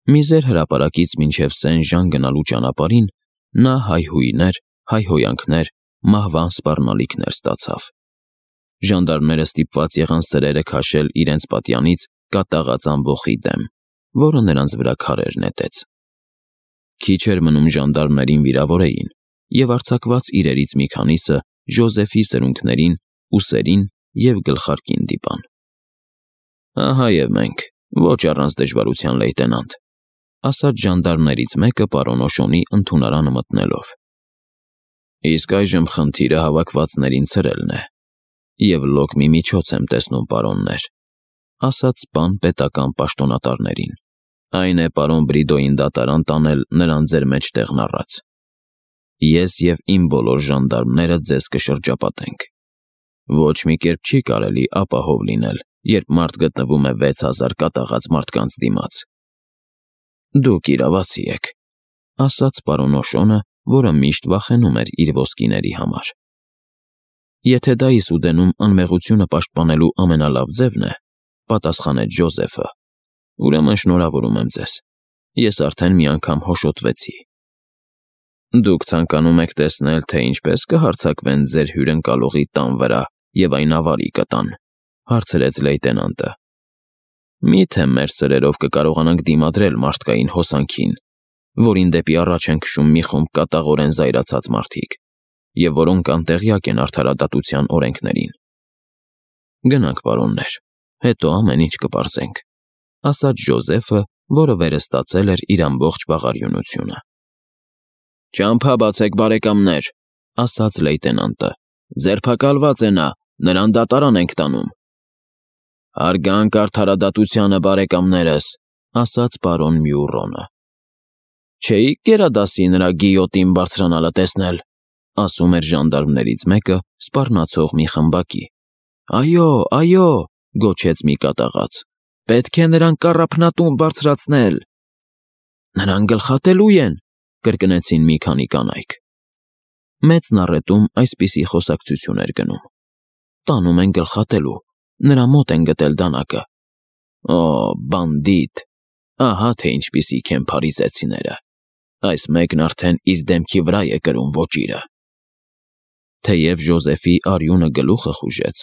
Միզեր հրապարակից մինչև Սեն-Ժան գնալու ճանապարհին նա հայհույներ, հայհոյանքներ, մահվան սպառնալիքներ ստացավ։ Ժանդարմները ստիպված եղան սրերը քաշել իրենց պատյանից կատաղած ամբոխի դեմ, որը նրանց վրա քարեր նետեց։ Քիչ էր մնում ժանդարմներին վիրավորեին, եւ արձակված իրերից մի քանիսը Ժոզեֆի սրունքներին, ուսերին եւ գլխարկին դիպան։ Ահա եւ մենք, ոչ առանց դժվարության, լեյտենանտ, ասաց ժանդարմներից մեկը պարոն Օշոնի ընդունարանը մտնելով։ Իսկ այժմ խնդիրը հավաքվածներին ցրելն է, եւ լոկ մի միջոց եմ տեսնում, պարոններ, ասաց պան պետական պաշտոնատարներին։ Այն է պարոն Բրիդոյին դատարան տանել նրան ձեր մեջտեղն առած։ Ես եւ իմ բոլոր ժանդարմները ձեզ կշրջապատենք։ Ոչ մի կերպ չի կարելի ապահով լինել, երբ մարդ գտնվում է 6000 կատաղած մարդկանց դիմաց։ Դուք իրավացի եք, ասաց պարոն Օշոնը, որը միշտ վախենում էր իր ոսկիների համար։ Եթե դա Իսուդենում անմեղությունը պաշտպանելու ամենալավ ձևն է, պատասխանեց Ժոզեֆը, ուրեմն շնորհավորում եմ ձեզ։ Ես արդեն մի անգամ հոշոտվեցի։ Դուք ցանկանում եք տեսնել, թե ինչպես կհարձակվեն ձեր հյուրընկալողի տան վրա եւ այն ավարի կտան, հարցրեց լեյտենանտը։ Միթե մեր սրերով կկարողանանք դիմադրել մարդկային հոսանքին, որին դեպի առաջ են քշում մի խումբ կատաղորեն զայրացած մարդիկ, եւ որոնք անտեղյակ են արդարադատության օրենքներին։ Գնանք, պարոններ, հետո ամեն ինչ կպարզենք, ասաց Ժոզեֆը, որը վերստացել էր իր ամբողջ բաղարյունությունը։ Ճամփա բացեք, բարեկամներ, ասաց լեյտենանտը։ Ձերբակալված է նա, նրան դատարան ենք տանում։ Հարգանք արդարադատությանը, բարեկամներս, ասաց պարոն Մյուռոնը։ Չէիք գերադասի նրա գիյոտին բարձրանալը տեսնել, ասում էր ժանդարմներից մեկը սպառնացող մի խմբակի։ Այո, գոչեց մի կատաղած։ Պետք է նրան կառափնատուն բարձրացնել։ Նրան գլխատելու են, կրկնեցին մի քանի կանայք։ Մեծ նառետում այսպիսի խոսակցություն էր գնում։ Տանում են գլխատելու, նրա մոտ են գտել դանակը։ Օ, բանդիտ, ահա թե ինչպիսիք են փարիզեցիները։ Այս մեկն արդեն իր դեմքի վրա է կրում ոճիրը։ Թեև Ժոզեֆի արյունը գլուխը խուժեց,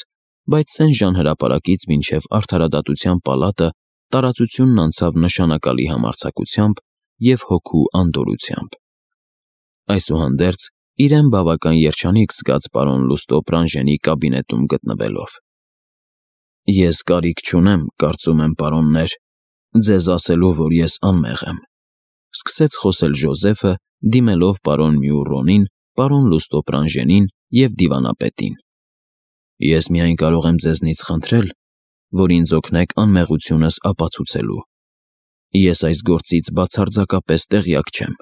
բայց Սեն-Ժան հրապարակից մինչև արդարադատության պալատը տարածությունն անցավ նշանակալի համարձակությամբ և հոգու անդորրությամբ։ Այսուհանդերձ իրեն բավական երջանիկ զգաց պարոն Լուստո Պրանժենի կաբինետում գտնվելով։ Ես կարիք չունեմ, կարծում եմ, պարոններ, ձեզ ասելու, որ ես անմեղ եմ, սկսեց խոսել Ժոզեֆը, դիմելով պարոն Մյուռոնին, պարոն Լուստո Պրանժենին և դիվանապետին։ Ես միայն կարող եմ ձեզնից խնդրել, որ ինձ օգնեք անմեղությունս ապացուցելու։ Ես այս գործից բացարձակապես տեղյակ չեմ։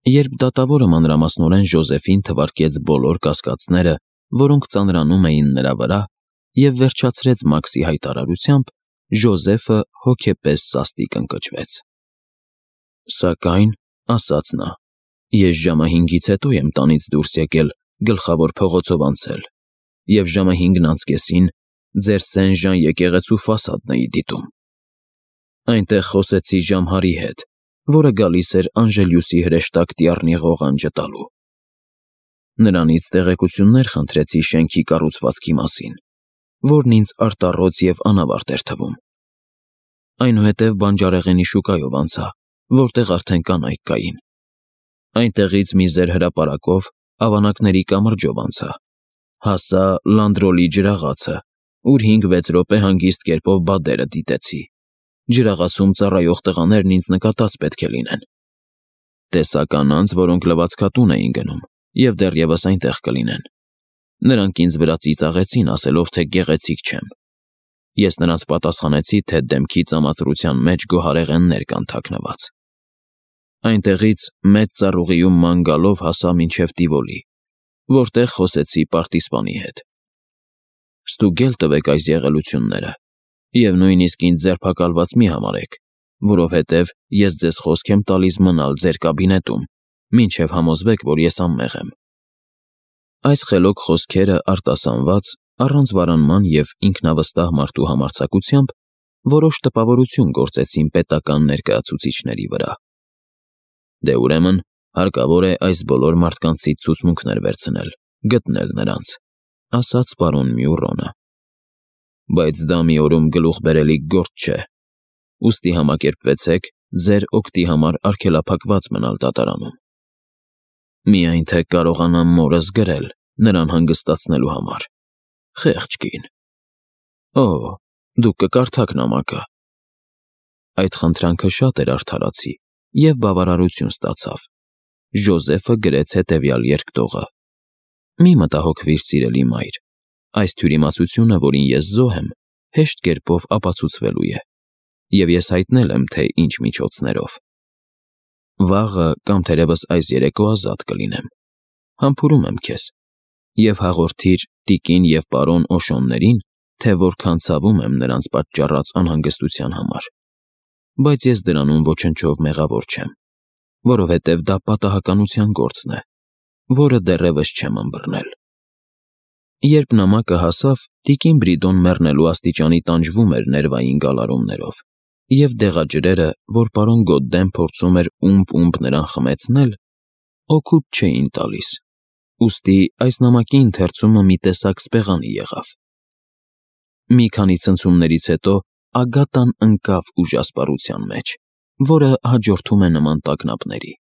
Երբ դատավորը մանրամասնորեն Ժոզեֆին թվարկեց բոլոր կասկածները, որոնք ծանրանում էին նրա վրա, և վերջացրեց Մաքսի հայտարարությամբ, Ժոզեֆը հոգեպես սաստիկ ընկճվեց։ Սակայն, ասաց նա, ես ժամը 5-ից հետո եմ տանից դուրս եկել գլխավոր փողոցով անցել, և ժամը 5-ն անց կեսին ձեր Սեն-Ժան եկեղեցու ֆասադն էի դիտում։ Այնտեղ խոսեցի Ժամհարի հետ, որը գալիս էր Անժելյուսի հրեշտակ Տիառնի ղողանջը տալու։ Նրանից տեղեկություններ խնդրեցի շենքի կառուցվածքի մասին, որն ինձ արտառոց և անավարտ էր թվում։ Այնուհետև բանջարեղենի շուկայով անցա, որտեղ արդեն կանայք կային։ Այնտեղից մի զեր հրապարակով ավանակների կամրջով անցա, հասա Լանդրոլի ջրաղացը, ուր 5-6 րոպե հանգիստ կերպով բադերը դիտեցի։ Ջրաղացում ծառայող տղաներն ինձ նկատած պետք է լինեն։ Տեսա կանանց, որոնք լվացքատուն էին գնում, և դեռևս այնտեղ կլինեն։ Նրանք ինձ վրա ծիծաղեցին, ասելով, թե գեղեցիկ չեմ։ Ես նրանց պատասխանեցի, թե դեմքի ծամածրության մեջ գոհարեղեններ կան թաքնված։ Այնտեղից մեծ ծառուղիում ման գալով հասա մինչև Տիվոլի, որտեղ խոսեցի պարտիսպանի հետ։ Ստուգել տվեք այս եղելությունները, և նույնիսկ ինձ ձերբակալված մի համարեք, որովհետև ես ձեզ խոսք եմ տալիս մնալ ձեր կաբինետում, մինչև համոզվեք, որ ես անմեղ եմ։ Այս խելոք խոսքերը արտասանված, առանց վարանման և ինքնավստահ մարդու համարձակությամբ, որոշ տպավորություն գործեցին պետական ներկայացուցիչների վրա։ Դե ուրեմն, հարկավոր է այս բոլոր մարդկանցից ցուցմունքներ վերցնել, գտնել նրանց, ասաց պարոն Մյուռոնը։ Բայց դա մի օրում գլուխ բերելիք գործ չէ։ Ուստի համակերպվեցեք ձեր օգտի համար արգելափակված մնալ դատարանում։ Միայն թե կարողանամ մորս գրել նրան հանգստացնելու համար։ Խեղճ կին։ Օ, դուք կկարդաք նամակը։ Այդ խնդրանքը շատ էր արդարացի և բավարարություն ստացավ։ Ժոզեֆը գրեց հետևյալ երկտողը. Մի մտահոգվիր, սիրելի մայր, այս թյուրիմացությունը, որին ես զոհ եմ, հեշտ կերպով ապացուցվելու է, և ես հայտնել եմ, թե ինչ միջոցներով։ Վաղը կամ թերևս այս երեկո ազատ կլինեմ։ Համբուրում եմ քեզ և հաղորդիր տիկին և պարոն Օշոններին, թե որքան ցավում եմ նրանց պատճառած անհանգստության համար, բայց ես դրանում ոչնչով մեղավոր չեմ, որովհետև դա պատահականության գործն է, որը դեռևս չեմ ըմբռնել։ Երբ նամակը հասավ, տիկին Բրիդոն մեռնելու աստիճանի տանջվում էր ներվային գալարումներով, և դեղաջրերը, որ պարոն Գոդդեն փորձում էր ումպ նրան խմեցնել, օգուտ չէին տալիս, ուստի այս նամակի ընթերցումը մի տեսակ սպեղանի եղավ։ Մի քանի ցնցումներից հետո Ագատան ընկավ ուժասպառության մեջ, որը հաջորդում է նման տագնապների։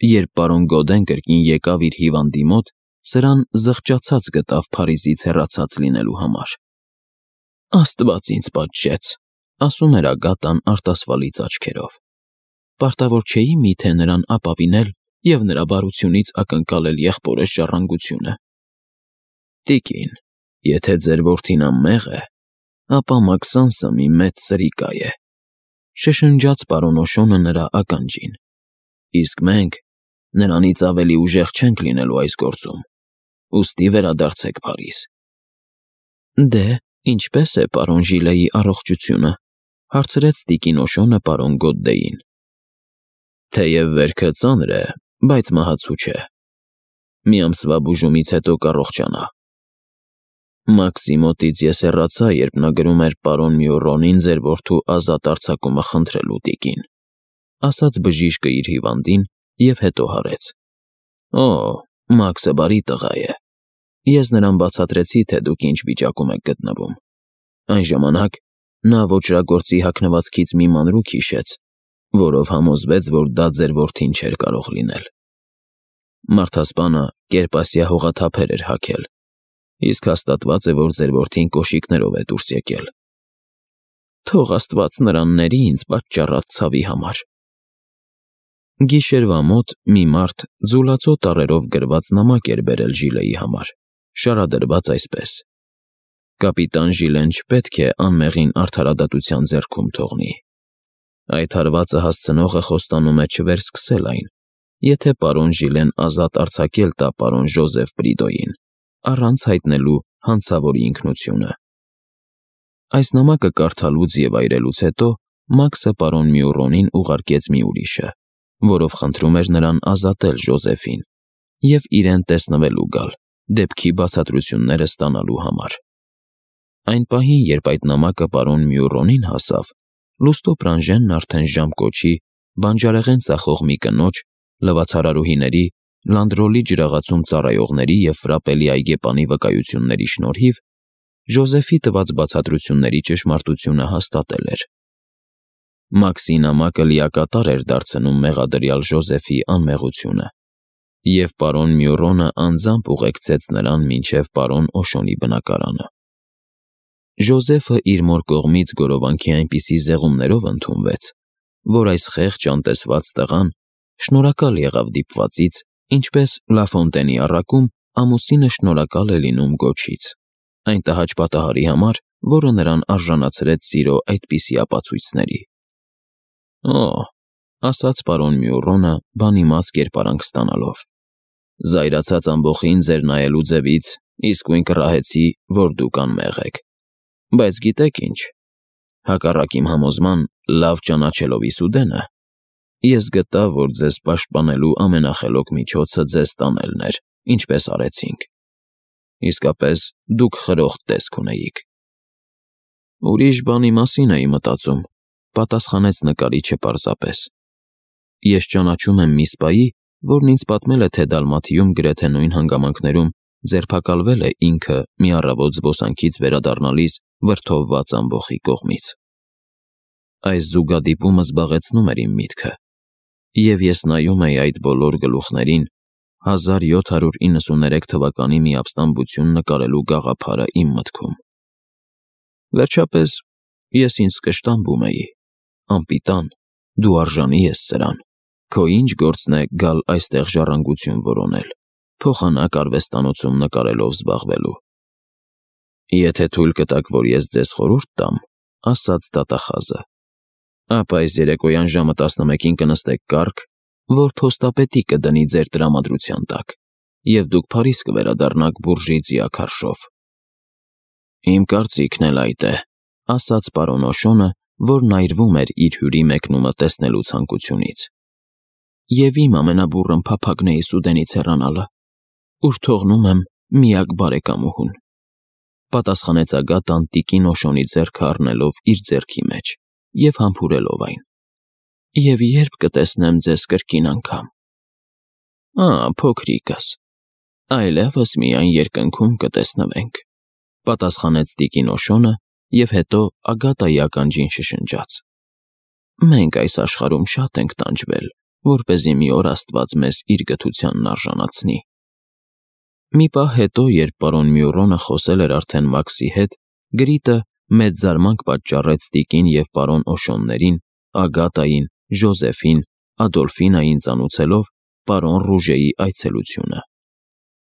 Երբ պարոն Գոդեն կրկին եկավ իր հիվանդի մոտ, սրան զղջացած գտավ Փարիզից հեռացած լինելու համար։ Աստված ինձ պատժեց, ասում էր Ագատան արտասվալից աչքերով։ Պարտավոր չէի միթե նրան ապավինել և նրա բարությունից ակնկալել եղբորս ժառանգությունը։ Տիկին, եթե ձեր որդին անմեղ է, ապա Մաքսանսը մի մեծ սրիկա է, շշնջաց պարոն Օշոնը նրա ականջին, իսկ մենք նրանից ավելի ուժեղ չենք լինելու այս գործում, ուստի վերադարձեք Փարիզ։ Դե, ինչպե՞ս է պարոն Ժիլեի առողջությունը, հարցրեց տիկին Օշոնը պարոն Գոդդեին։ Թեև վերքը ծանր է, բայց մահացու չէ։ Մի ամսվա բուժումից հետո կառողջանա։ Մաքսի մոտից ես հեռացա, երբ նա գրում էր պարոն Մյուռոնին ձեր որդու ազատ արձակումը խնդրելու տիկին, ասաց բժիշկը իր հիվանդին և հետո հարեց. Օ, Մաքսը բարի տղա է։ Ես նրան բացատրեցի, թե դուք ինչ վիճակում եք գտնվում։ Այն ժամանակ նա ոճրագործի հագնվածքից մի մանրուք հիշեց, որով համոզվեց, որ դա ձեր որդին չէր կարող լինել։ Մարդասպանը կերպասյա հողաթափեր էր հագել, իսկ հաստատված է, որ ձեր որդին կոշիկներով է դուրս եկել։ Թող Աստված նրան ների ինձ պատճառած ցավի համար։ Գիշերվա մոտ մի մարդ ձուլածո տառերով գրված նամակ էր բերել Ժիլեի համար, շարադրված այսպես. Կապիտան Ժիլեն չպետք է անմեղին արդարադատության ձեռքում թողնի։ Այդ հարվածը հասցնողը խոստանում է չվերսկսել այն, եթե պարոն Ժիլեն ազատ արձակել տա պարոն Ժոզեֆ Բրիդոյին, առանց հայտնելու հանցավորի ինքնությունը։ Այս նամակը կարդալուց և այրելուց հետո Մաքսը պարոն Մյուռոնին ուղարկեց մի ուրիշը, որով խնդրում էր նրան ազատել Ժոզեֆին և իրեն տեսնվելու գալ, դեպքի բացատրությունները ստանալու համար։ Այն պահին, երբ այդ նամակը պարոն Մյուռոնին հասավ, լուստո Պրանժենն արդեն ժամկոչի, բանջարեղեն ծախող մի կնոջ, լվացարարուհիների, լանդրոլի ջրաղացում ծառայողների և ֆրապելի այգեպանի վկայությունների շնորհիվ Ժոզեֆի տված բացատրությունների ճշմարտությունը հաստատել էր։ Մաքսի նամակը լիակատար էր դարձնում մեղադրյալ Ժոզեֆի անմեղությունը, և պարոն Մյուռոնը անձամբ ուղեկցեց նրան մինչև պարոն Օշոնի բնակարանը։ Ժոզեֆը իր մոր կողմից գորովանքի այնպիսի զեղումներով ընդունվեց, որ այս խեղճ անտեսված տղան շնորհակալ եղավ դիպվածից, ինչպես Լաֆոնտենի առակում ամուսինը շնորհակալ է լինում գոչից, այն տհաճ պատահարի համար, որը նրան արժանացրեց սիրո այդպիսի ապացույցների։ Օ, ասաց պարոն Մյուռոնը բանիմաց կերպարանք ստանալով, զայրացած ամբոխին ձեր նայելու ձևից իսկույն կռահեցի, որ դուք անմեղ եք, բայց գիտեք ինչ, հակառակ իմ համոզման, լավ ճանաչելով Իսուդենը, ես գտա, որ ձեզ պաշտպանելու ամենախելոք միջոցը ձեզ տանելն էր, ինչպես արեցինք։ Իսկապես, դուք խրոխտ տեսք ունեիք։ Ուրիշ բանի մասին էի մտածում, պատասխանեց նկարիչը պարզապես։ Ես ճանաչում եմ մի սպայի, որն ինձ պատմել է, թե Դալմաթիում գրեթե նույն հանգամանքներում ձերբակալվել է ինքը մի առավոտ զբոսանքից վերադառնալիս վրդովված ամբոխի կողմից։ Այս զուգադիպումը զբաղեցնում էր իմ միտքը, և ես նայում էի այդ բոլոր գլուխներին 1793 թվականի մի ապստամբություն նկարելու գաղափարը իմ մտքում։ Վերջապես, ես ինձ կշտամբում էի, անպիտան, դու արժանի ես սրան, քո ինչ գործն է գալ այստեղ ժառանգություն որոնել, փոխանակ արվեստանոցում նկարելով զբաղվելու։ Եթե թույլ կտաք, որ ես ձեզ խորհուրդ տամ, ասաց դատախազը, ապա այս երեկոյան ժամը 11-ին կնստեք կառք, որ փոստապետի կդնի ձեր տրամադրության տակ, և դուք Փարիզ կվերադառնաք Բուրժիցիա քարշով։ Իմ կարծիքն էլ այդ է, ասաց պարոն Օշոնը, որն այրվում էր իր հյուրի մեկնումը տեսնելու ցանկությունից։ Եվ իմ ամենաբուռն փափագն է Սուդենից հեռանալը, ուր թողնում եմ միակ բարեկամուհուն, պատասխանեց Ագատան տիկին Օշոնի ձեռքը առնելով իր ձեռքի մեջ և համբուրելով այն։ Եվ երբ կտեսնեմ ձեզ կրկին անգամ։ Փոքրիկս, այլևս միայն երկնքում կտեսնվենք, պատասխանեց տիկին Օշոնը և հետո Ագատայի ականջին շշնջաց. Մենք այս աշխարհում շատ ենք տանջվել, որպեսզի մի օր Աստված մեզ իր գթությանն արժանացնի։ Մի պահ հետո, երբ պարոն Մյուռոնը խոսել էր արդեն Մաքսի հետ, Գրիտը մեծ զարմանք պատճառեց տիկին և պարոն Օշոններին, Ագատային, Ժոզեֆին, Ադոլֆինային ծանուցելով պարոն Ռուժեի այցելությունը։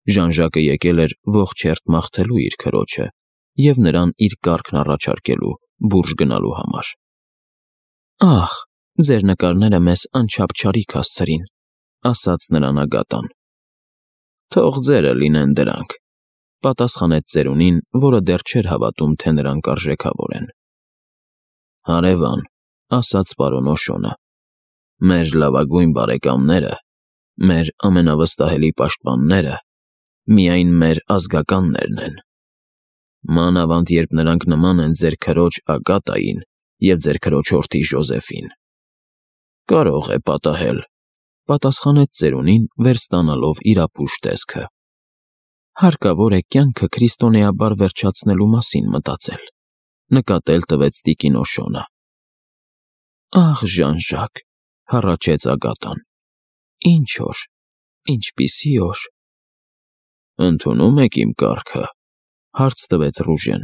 Ժան-Ժակը եկել էր ողջ հերթ մաղթելու իր քրոջը և նրան իր կառքն առաջարկելու Բուրժ գնալու համար։ Ահ, ձեր նկարները մեզ անչափ չարիք հասցրին, ասաց նրան Ագատան։ Թող ձերը լինեն դրանք, պատասխանեց ծերունին, որը դեռ չէր հավատում, թե նրանք արժեքավոր են։ Հարևան, ասաց պարոն Օշոնը, մեր լավագույն բարեկամները, մեր ամենավստահելի պաշտպանները միայն մեր ազգականներն են։ Մանավանդ երբ նրանք նման են ձեր քրոջ Ագատային և ձեր քրոջորդի Ժոզեֆին։ Կարող է պատահել, պատասխանեց ծերունին, վերստանալով իր ապուշ տեսքը։ Հարկավոր է կյանքը քրիստոնեաբար վերջացնելու մասին մտածել, նկատել տվեց տիկին Օշոնը։ Ահ, Ժան-Ժակ, հառաչեց Ագատան, ինչ օր, ինչպիսի օր։ Ընդունում եք իմ կառքը, հարց տվեց Ռուժեն։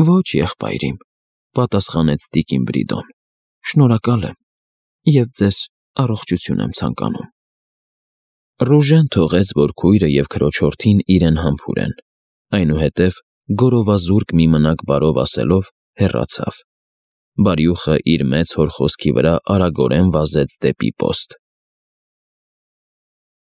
Ոչ, եղբայրիմ, պատասխանեց տիկին Բրիդոն, շնորհակալ եմ և ձեզ առողջություն եմ ցանկանում։ Ռուժեն թողեց, որ քույրը և քրոջորդին իրեն համբուրեն, այնուհետև գորովազուրկ մի մնակ բարով ասելով հեռացավ։ Բարյուխը իր մեծ հոր խոսքի վրա արագորեն վազեց դեպի պոստ։